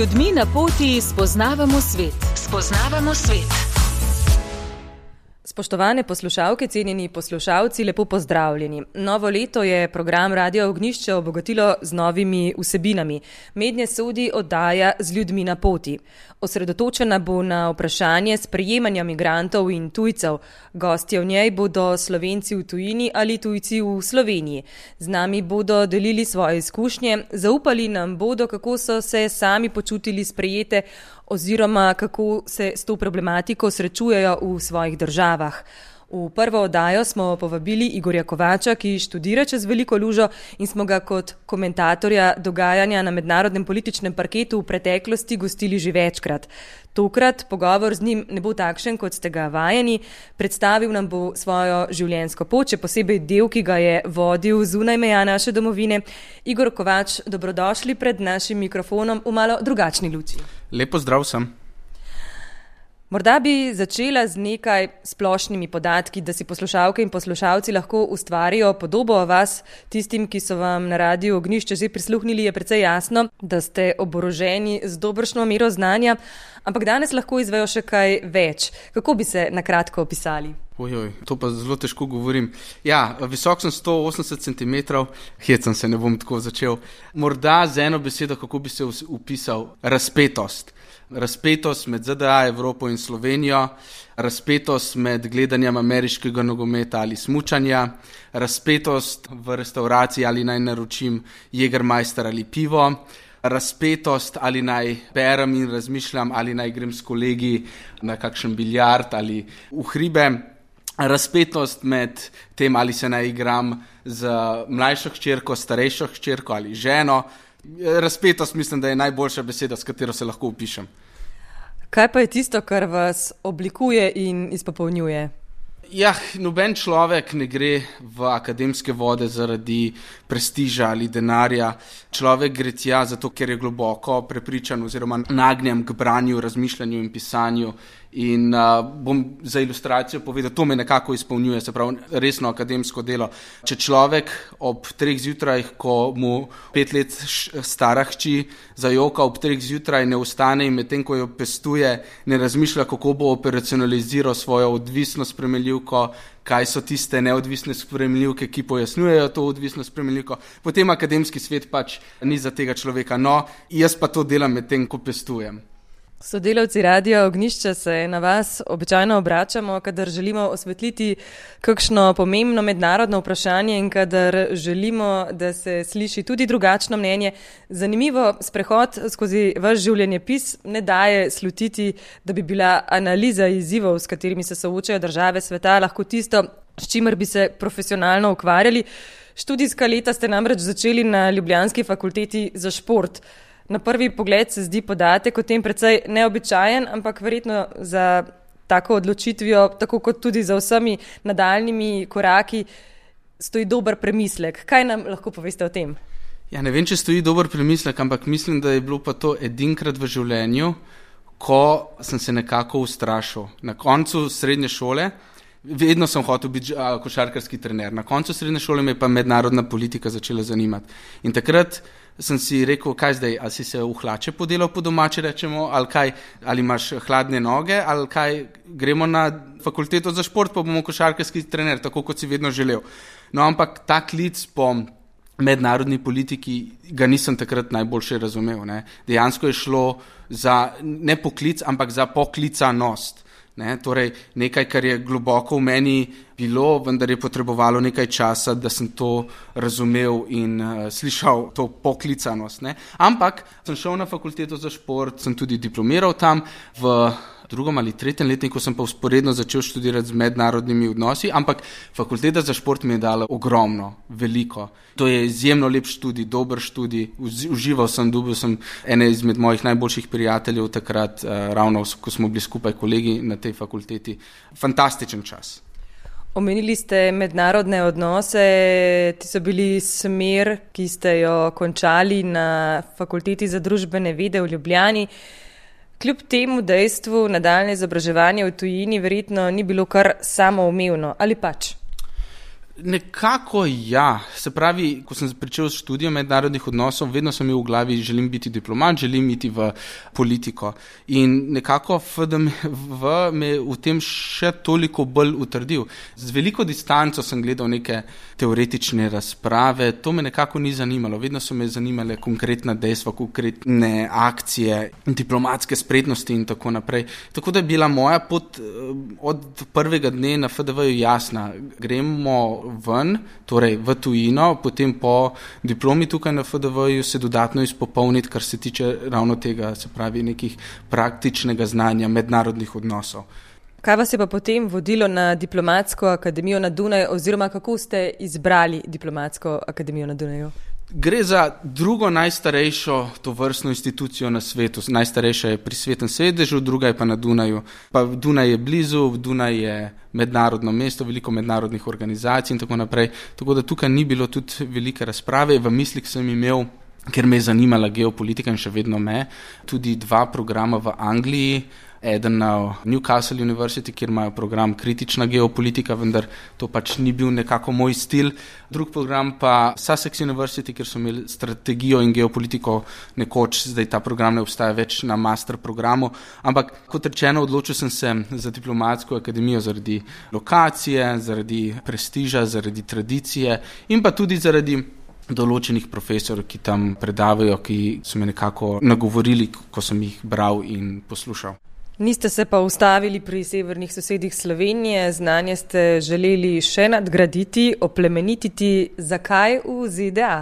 ljudmi na poti spoznavamo svet. Spoznavamo svet. Spoštovane poslušalke, cenjeni poslušalci, lepo pozdravljeni. Novo leto je program Radio Ognjišče obogatilo z novimi vsebinami. Mednje sodi oddaja Z ljudmi na poti. Osredotočena bo na vprašanje sprejemanja migrantov in tujcev. Gostje v njej bodo Slovenci v tujini ali tujci v Sloveniji. Z nami bodo delili svoje izkušnje, zaupali nam bodo, kako so se sami počutili sprejete oziroma kako se s to problematiko srečujejo v svojih državah. V prvo oddajo smo povabili Igorja Kovača, ki študira čez Veliko Lužo in smo ga kot komentatorja dogajanja na mednarodnem političnem parketu v preteklosti gostili že večkrat. Tokrat pogovor z njim ne bo takšen, kot ste ga vajeni. Predstavil nam bo svojo življenjsko pot, še posebej del, ki ga je vodil zunaj meja naše domovine. Igor Kovač, dobrodošli pred našim mikrofonom v malo drugačni luči. Lepo zdrav sem. Morda bi začela z nekaj splošnimi podatki, da si poslušalke in poslušalci lahko ustvarijo podobo o vas. Tistim, ki so vam na Radiu Ognjišče že prisluhnili, je precej jasno, da ste oboroženi z dobršno mero znanja, ampak danes lahko izvejo še kaj več. Kako bi se na kratko opisali? To pa zelo težko govorim. Ja, visok sem 180 cm, hecam se, ne bom tako začel. Morda z eno besedo, kako bi se upisal, razpetost. Razpetost med ZDA, Evropo in Slovenijo, razpetost med gledanjem ameriškega nogometa ali smučanja, razpetost v restavraciji, ali naj naročim Jägermeister ali pivo, razpetost, ali naj berem in razmišljam, ali naj grem s kolegi na kakšen biljard ali v hribe, razpetost med tem, ali se naj igram z mlajšo hčerko, starejšo hčerko ali ženo. Razpetost mislim, da je najboljša beseda, s katero se lahko opišem. Kaj pa je tisto, kar vas oblikuje in izpopolnjuje? Ja, noben človek ne gre v akademske vode zaradi prestiža ali denarja. Človek gre tja zato, ker je globoko prepričan oziroma nagnjen k branju, razmišljanju in pisanju. In bom za ilustracijo povedal, to me nekako izpolnjuje, se pravi resno akademsko delo. Če človek ob 3 zjutraj, ko mu 5 let stara hči zajoka ob 3 zjutraj, ne vstane in medtem, ko jo pestuje, ne razmišlja, kako bo operacionaliziral svojo odvisno sprejemljivko, kaj so tiste neodvisne sprejemljivke, ki pojasnjujejo to odvisno sprejemljivko, potem akademski svet pač ni za tega človeka. No, jaz pa to delam medtem, ko pestujem. Sodelavci Radia Ognjišče se na vas običajno obračamo, kadar želimo osvetliti kakšno pomembno mednarodno vprašanje in kadar želimo, da se sliši tudi drugačno mnenje. Zanimivo, sprehod skozi vaš življenjepis ne daje slutiti, da bi bila analiza izzivov, s katerimi se soočajo države sveta, lahko tisto, s čimer bi se profesionalno ukvarjali. Študijska leta ste namreč začeli na ljubljanski fakulteti za šport. Na prvi pogled se zdi podatek o tem precej neobičajen, ampak verjetno za tako odločitvijo, tako kot tudi za vsemi nadaljnimi koraki, stoji dober premislek. Kaj nam lahko poveste o tem? Ja, ne vem, če stoji dober premislek, ampak mislim, da je bilo pa to edinkrat v življenju, ko sem se nekako ustrašil. Na koncu srednje šole, vedno sem hotel biti košarkarski trener, na koncu srednje šole me je pa mednarodna politika začela zanimati. In takrat sem si rekel, kaj zdaj, ali si se v hlače podelal po domače, rečemo, ali kaj, ali imaš hladne noge, ali kaj, gremo na fakulteto za šport, pa bomo košarkarski trener, tako kot si vedno želel. No, ampak ta klic po mednarodni politiki ga nisem takrat najboljše razumel. Ne. Dejansko je šlo za ne poklic, ampak za poklicanost. Ne, torej nekaj, kar je globoko v meni bilo, vendar je potrebovalo nekaj časa, da sem to razumel in slišal to poklicanost. Ne. Ampak sem šel na fakulteto za šport, sem tudi diplomiral tam, v 2. ali 3. letniku sem pa vzporedno začel študirati z mednarodnimi odnosi, ampak fakulteta za šport mi je dala ogromno, veliko. To je izjemno lep študij, dober študij, užival sem, dobil sem ene izmed mojih najboljših prijateljev takrat, ravno ko smo bili skupaj kolegi na tej fakulteti. Fantastičen čas. Omenili ste mednarodne odnose, ti so bili smer, ki ste jo končali na fakulteti za družbene vede v Ljubljani. Kljub temu dejstvu nadaljnje izobraževanje v tujini verjetno ni bilo kar samoumevno, ali pač? Nekako ja. Se pravi, ko sem pričel s študijem mednarodnih odnosov, vedno sem imel v glavi, želim biti diplomat, želim iti v politiko. In nekako FDV me v tem še toliko bolj utrdil. Z veliko distanco sem gledal neke teoretične razprave, to me nekako ni zanimalo. Vedno so me zanimale konkretna dejstva, konkretne akcije, diplomatske spretnosti in tako naprej. Tako da je bila moja pot od prvega dne na FDV jasna. Gremo ven, torej v tujino, potem po diplomi tukaj na FDV-ju se dodatno izpopolniti, kar se tiče ravno tega, se pravi nekih praktičnega znanja mednarodnih odnosov. Kaj vas je pa potem vodilo na Diplomatsko akademijo na Dunaju oziroma kako ste izbrali Diplomatsko akademijo na Dunaju? Gre za drugo najstarejšo tovrstno institucijo na svetu. Najstarejša je pri Svetem sedežu, druga je pa na Dunaju. Pa Dunaj je blizu, Dunaj je mednarodno mesto, veliko mednarodnih organizacij in tako naprej. Tako da tukaj ni bilo tudi velike razprave. V mislih sem imel, ker me je zanimala geopolitika in še vedno me, tudi 2 programa v Angliji. Eden na Newcastle University, kjer imajo program kritična geopolitika, vendar to pač ni bil nekako moj stil. Drug program pa Sussex University, kjer so imeli strategijo in geopolitiko nekoč, zdaj ta program ne obstaja več na master programu. Ampak kot rečeno, odločil sem se za Diplomatsko akademijo zaradi lokacije, zaradi prestiža, zaradi tradicije in pa tudi zaradi določenih profesorjev, ki tam predavajo, ki so me nekako nagovorili, ko sem jih bral in poslušal. Niste se pa ustavili pri severnih sosedih Slovenije, znanje ste želeli še nadgraditi, oplemenititi. Zakaj v ZDA?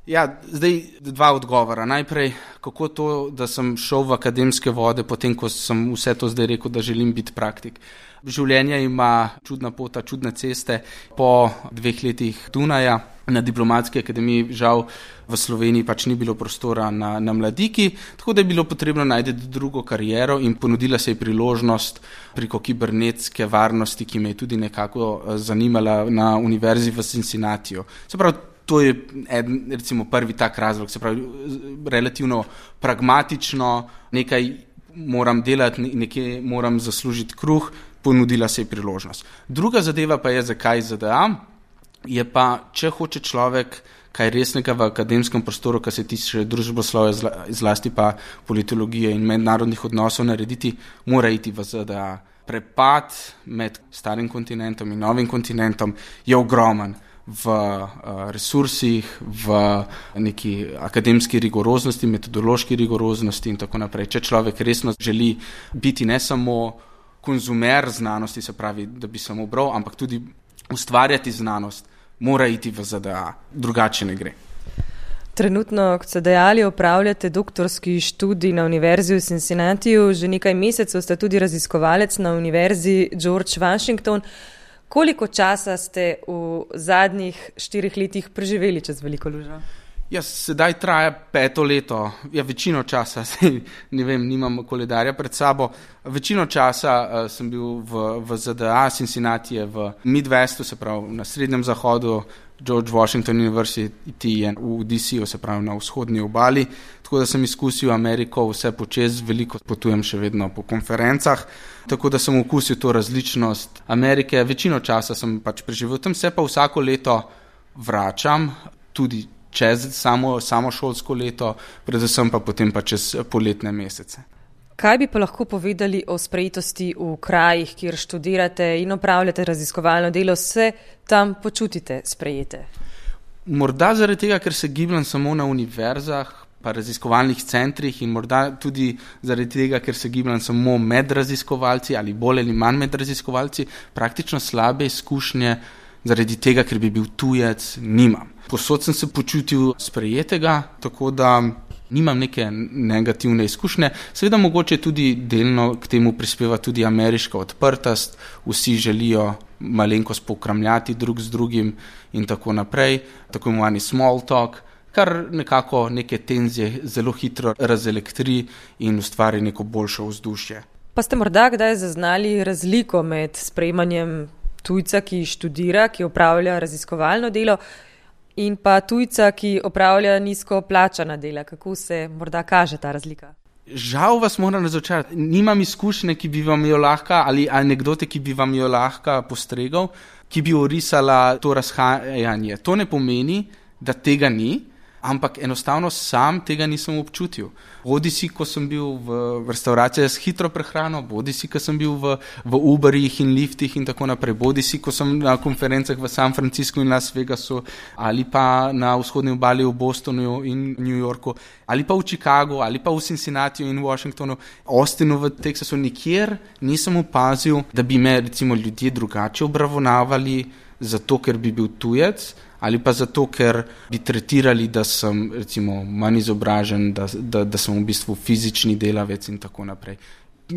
Ja, zdaj 2 odgovora. Najprej, kako to, da sem šel v akademske vode, potem, ko sem vse to zdaj rekel, da želim biti praktik. Življenje ima čudna pota, čudne ceste. Po 2 letih Dunaja na Diplomatski akademiji žal v Sloveniji pač ni bilo prostora na mladiki, tako da je bilo potrebno najti drugo kariero in ponudila se je priložnost preko kibernetske varnosti, ki me je tudi nekako zanimala na univerzi v Cincinnatiju. Se pravi, to je recimo prvi tak razlog, se pravi, relativno pragmatično, nekaj moram delati, nekaj moram zaslužiti kruh, ponudila se je priložnost. Druga zadeva pa je, zakaj ZDA, je pa, če hoče človek kaj resnega v akademskem prostoru, kar se tiče družboslovja, zlasti pa politologije in mednarodnih odnosov narediti, mora iti v ZDA. Prepad med starim kontinentom in novim kontinentom je ogromen v resursih, v neki akademski rigoroznosti, metodološki rigoroznosti in tako naprej. Če človek resno želi biti ne samo konzumer znanosti, se pravi, da bi samo bral, ampak tudi ustvarjati znanost, mora iti v ZDA, drugače ne gre. Trenutno, kot ste dejali, opravljate doktorski študij na Univerzi v Cincinnatiju, že nekaj mesecev ste tudi raziskovalec na Univerzi George Washington. Koliko časa ste v zadnjih 4 letih preživeli čez Veliko lužo? Ja, sedaj traja 5. leto, ja, večino časa, ne vem, nimam koledarja pred sabo, večino časa sem bil v ZDA, Cincinnati je v Midwestu, se pravi na srednjem zahodu, George Washington University je v DC-u, se pravi na vzhodni obali, tako da sem izkusil Ameriko vse počez, veliko potujem še vedno po konferencah, tako da sem okusil to različnost Amerike, večino časa sem pač preživel, tam se pa vsako leto vračam, tudi čez samo šolsko leto, predvsem pa potem pa čez poletne mesece. Kaj bi pa lahko povedali o sprejetosti v krajih, kjer študirate in opravljate raziskovalno delo, se tam počutite sprejete? Morda zaradi tega, ker se gibljem samo na univerzah, pa raziskovalnih centrih in morda tudi zaradi tega, ker se gibljem samo med raziskovalci ali bolj ali manj med raziskovalci, praktično slabe izkušnje zaradi tega, ker bi bil tujec, nimam. Posod sem se počutil sprejetega, tako da nimam neke negativne izkušnje. Seveda mogoče tudi delno k temu prispeva tudi ameriška odprtost, vsi želijo malenkost pokramljati drug z drugim in tako naprej, tako imenovani small talk, kar nekako neke tenzije zelo hitro razelektri in ustvari neko boljše vzdušje. Pa ste morda kdaj zaznali razliko med sprejemanjem tujca, ki študira, ki opravlja raziskovalno delo, in pa tujca, ki opravlja nizko plačana dela? Kako se morda kaže ta razlika? Žal vas moram razočarati. Nimam izkušnje, ki bi vam jo lahko, ali anekdote, ki bi vam jo lahko postregal, ki bi orisala to razhajanje. To ne pomeni, da tega ni, ampak enostavno sam tega nisem občutil. Bodi si, ko sem bil v restavraciji s hitro prehrano, bodi si, ko sem bil v Uberjih in liftih in tako naprej, bodi si, ko sem na konferencah v San Franciscu in Las Vegasu, ali pa na vzhodni obali v Bostonu in New Yorku, ali pa v Chicagu, ali pa v Cincinnatiju in Washingtonu, Austinu v Teksasu, nikjer nisem opazil, da bi me recimo ljudje drugače obravnavali zato, ker bi bil tujec, ali pa zato, ker bi tretirali, da sem recimo manj izobražen, da sem v bistvu fizični delavec in tako naprej.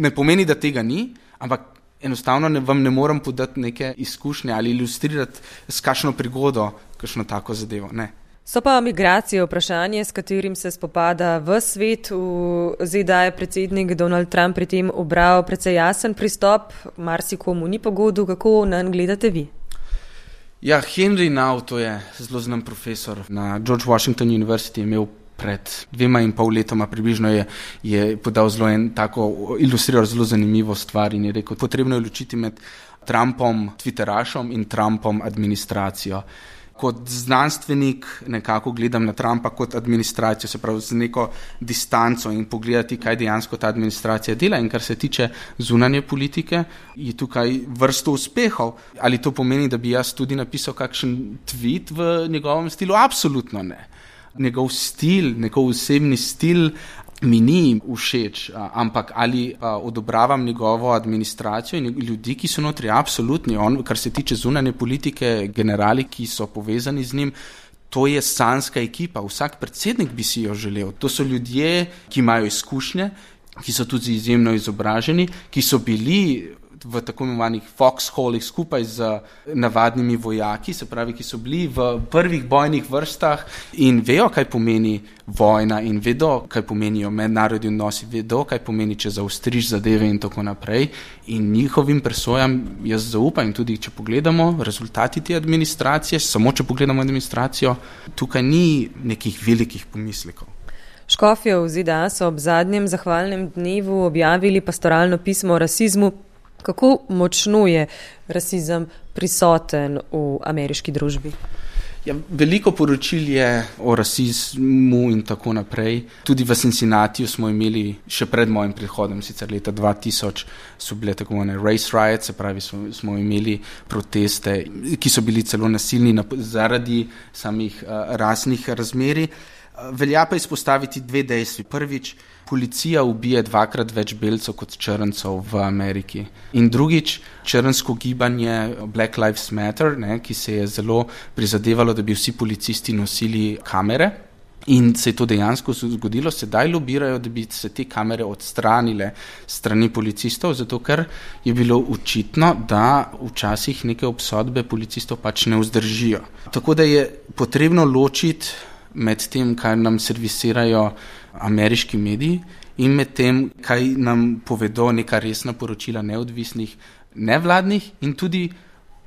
Ne pomeni, da tega ni, ampak enostavno vam ne morem podati neke izkušnje ali ilustrirati s kakšno prigodo, kakšno tako zadevo. Ne. So pa migracije vprašanje, s katerim se spopada v svet. V ZDA je predsednik Donald Trump pri tem ubral precej jasen pristop, marsikomu ni pogodu, kako nanj gledate vi? Ja, Henry Now, to je zelo znan profesor na George Washington University, imel pred 2,5 letoma približno je podal zelo ilustriral zelo zanimivo stvar in je rekel, potrebno je ločiti med Trumpom Twitterašom in Trumpom administracijo. Kot znanstvenik nekako gledam na Trumpa kot administracijo, se pravi z neko distanco in pogledati, kaj dejansko ta administracija dela. In kar se tiče zunanje politike, je tukaj vrsto uspehov. Ali to pomeni, da bi jaz tudi napisal kakšen tweet v njegovem stilu? Absolutno ne. Njegov stil, njegov osebni stil mi ni všeč, ampak ali odobravam njegovo administracijo in ljudi, ki so notri, absolutni. On, kar se tiče zunanje politike, generali, ki so povezani z njim, to je sanska ekipa. Vsak predsednik bi si jo želel. To so ljudje, ki imajo izkušnje, ki so tudi izjemno izobraženi, ki so bili v tako imenovanih foxholih skupaj z navadnimi vojaki, se pravi, ki so bili v prvih bojnih vrstah in vejo, kaj pomeni vojna in vedo, kaj pomenijo mednarodni odnosi, vedo, kaj pomeni, če zaostriš zadeve in tako naprej. In njihovim presojam jaz zaupam in tudi, če pogledamo rezultati te administracije, samo če pogledamo administracijo, tukaj ni nekih velikih pomislekov. Škofje v ZDA so ob zadnjem zahvalnem dnevu objavili pastoralno pismo o rasizmu. Kako močno je rasizem prisoten v ameriški družbi? Ja, veliko poročil je o rasizmu in tako naprej. Tudi v Cincinnatiju smo imeli še pred mojim prihodom, sicer leta 2000 so bile tako imenovane race riots, se pravi smo imeli proteste, ki so bili celo nasilni zaradi samih rasnih razmerij. Velja pa izpostaviti dve dejstvi. Prvič, policija ubije 2-krat več belcev kot črncev v Ameriki. In drugič, črnsko gibanje Black Lives Matter, ki se je zelo prizadevalo, da bi vsi policisti nosili kamere. In se je to dejansko zgodilo, sedaj lobirajo, da bi se te kamere odstranile strani policistov, zato ker je bilo očitno, da včasih neke obsodbe policistov pač ne vzdržijo. Tako da je potrebno ločiti med tem, kaj nam servisirajo ameriški mediji in med tem, kaj nam povedo neka resna poročila neodvisnih, nevladnih in tudi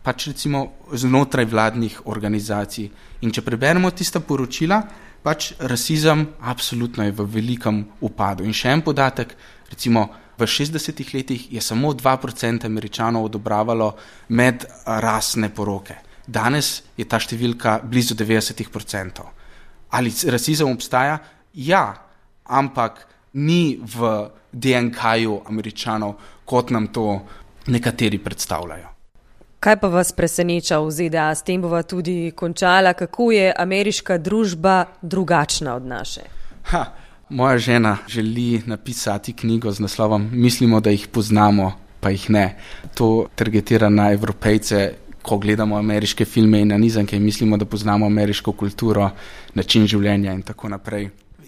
pač recimo znotraj vladnih organizacij. In če preberemo tista poročila, pač rasizem absolutno je v velikem upadu. In še en podatek, recimo v 60 letih je samo 2% Američanov odobravalo medrasne poroke. Danes je ta številka blizu 90%. Ali rasizem obstaja? Ja, ampak ni v DNK-ju Američanov, kot nam to nekateri predstavljajo. Kaj pa vas preseneča v ZDA? S tem bova tudi končala. Kako je ameriška družba drugačna od naše? Moja žena želi napisati knjigo z naslovom Mislimo, da jih poznamo, pa jih ne. To targetira na Evropejce, ko gledamo ameriške filme in nanizanke in mislimo, da poznamo ameriško kulturo, način življenja in tako naprej.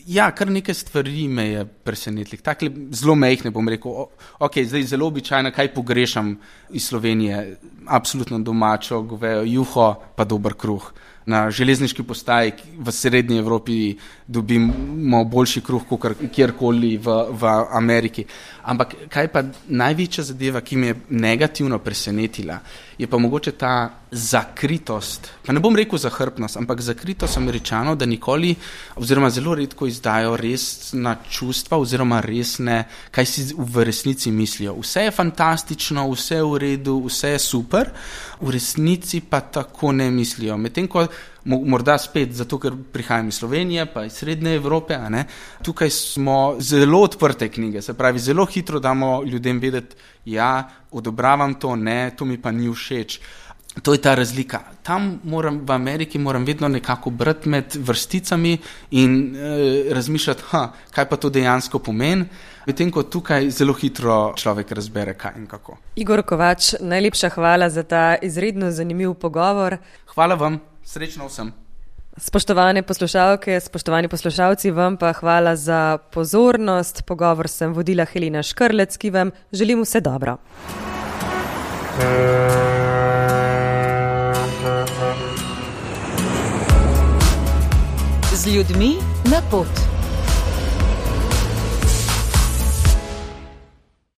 Ja, kar nekaj stvari me je presenetilo. Takle zelo mehne bom rekel, zdaj zelo običajno, kaj pogrešam iz Slovenije, absolutno domačo, govejo juho, pa dober kruh. na železniški postaji v srednji Evropi dobimo boljši kruh kot kjerkoli v Ameriki. Ampak kaj pa največja zadeva, ki me je negativno presenetila, je pa mogoče ta zakritost, pa ne bom rekel zahrbtnost, ampak zakritost Američanov, da nikoli oziroma zelo redko izdajo resna čustva oziroma resne, kaj si v resnici mislijo. Vse je fantastično, vse je v redu, vse je super, v resnici pa tako ne mislijo. Medtem ko morda spet, zato ker prihajam iz Slovenije, pa iz Srednje Evrope, tukaj smo zelo odprte knjige, se pravi, zelo hitro damo ljudem vedeti, ja, odobravam to, ne, to mi pa ni všeč. To je ta razlika. Tam v Ameriki moram vedno nekako brati med vrsticami in razmišljati, kaj pa to dejansko pomeni, medtem ko tukaj zelo hitro človek razbere, kaj in kako. Igor Kovač, najlepša hvala za ta izredno zanimiv pogovor. Hvala vam, srečno vsem. Spoštovane poslušalke, spoštovani poslušalci, vam pa hvala za pozornost. Pogovor sem vodila Helena Škrlec, ki vam želim vse dobro. Z ljudmi na pot.